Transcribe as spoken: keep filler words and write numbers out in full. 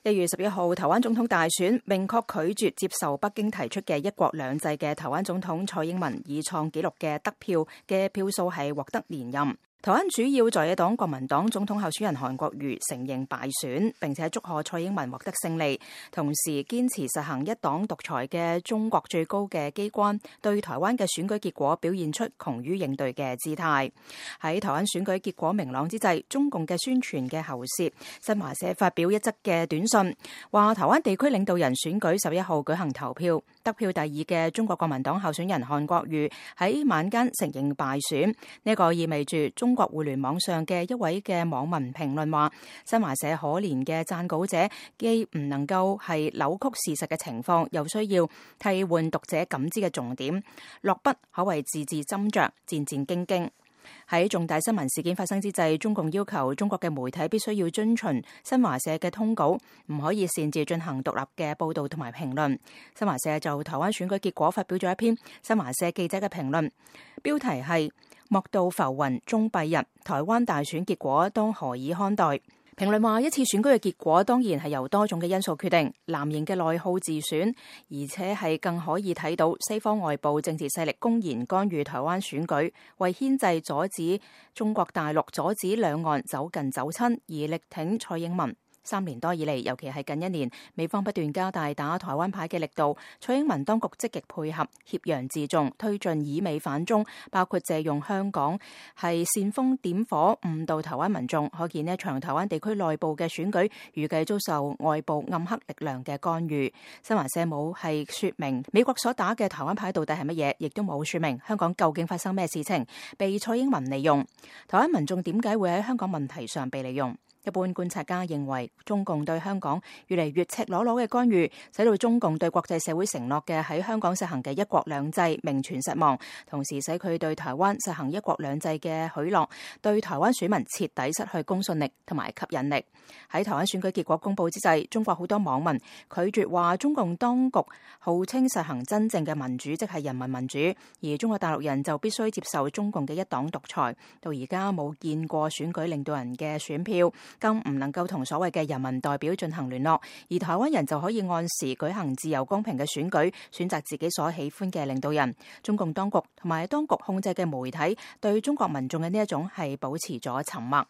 一月十一號，台灣總統大選明確拒絕接受北京提出嘅一國兩制嘅台灣總統蔡英文以創紀錄嘅得票嘅票數係獲得連任。台灣主要在野黨國民黨總統候選人韓國瑜承認敗選，並且祝賀蔡英文獲得勝利，同時堅持實行一黨獨裁嘅中國最高嘅機關對台灣嘅選舉結果表現出窮於應對嘅姿態。喺台灣選舉結果明朗之際，中共嘅宣傳嘅喉舌新華社發表一則嘅短信，話台灣地區領導人選舉十一號舉行投票，得票第二嘅中國國民黨候選人韓國瑜喺晚間承認敗選。呢個意味住中國互聯網上嘅一位嘅網民評論話，新華社可憐嘅撰稿者既唔能夠係扭曲事實嘅情況，又需要替換讀者感知嘅重點，落筆可謂字字斟酌，戰戰兢兢。喺重大新聞事件發生之際，中共要求中國嘅媒體必須要遵循新華社嘅通稿，唔可以擅自進行獨立嘅報道同埋評論。新華社就台灣選舉結果發表咗一篇新華社記者嘅評論，標題係莫道浮雲終蔽日，台灣大選結果當何以看待？評論話，一次選舉嘅結果當然係由多種嘅因素決定，藍營嘅內耗自選，而且係更可以睇到西方外部政治勢力公然干預台灣選舉，為牽制阻止中國大陸阻止兩岸走近走親而力挺蔡英文。三年多以嚟，尤其係近一年，美方不斷加大打台灣牌嘅力度，蔡英文當局積極配合，挾洋自重，推進以美反中，包括借用香港係煽風點火誤導台灣民眾。可見呢一場台灣地區內部嘅選舉預計遭受外部暗黑力量嘅干預。新華社冇係說明美國所打嘅台灣牌到底係乜嘢，亦都冇說明香港究竟發生咩事情被蔡英文利用。台灣民眾點解會喺香港問題上被利用？一般觀察家認為，中共對香港越嚟越赤裸裸嘅干預，使到中共對國際社會承諾嘅喺香港實行嘅一國兩制名存實亡，同時使佢對台灣實行一國兩制嘅許諾，對台灣選民徹底失去公信力同埋吸引力。喺台灣選舉結果公佈之際，中國好多網民拒絕話中共當局號稱實行真正嘅民主，即係人民民主，而中國大陸人就必須接受中共嘅一黨獨裁。到而家冇見過選舉領導人嘅選票，更唔能夠同所謂嘅人民代表進行聯絡，而台灣人就可以按時舉行自由公平嘅選舉，選擇自己所喜歡嘅領導人。中共當局同埋當局控制嘅媒體對中國民眾嘅呢一種係保持咗沉默。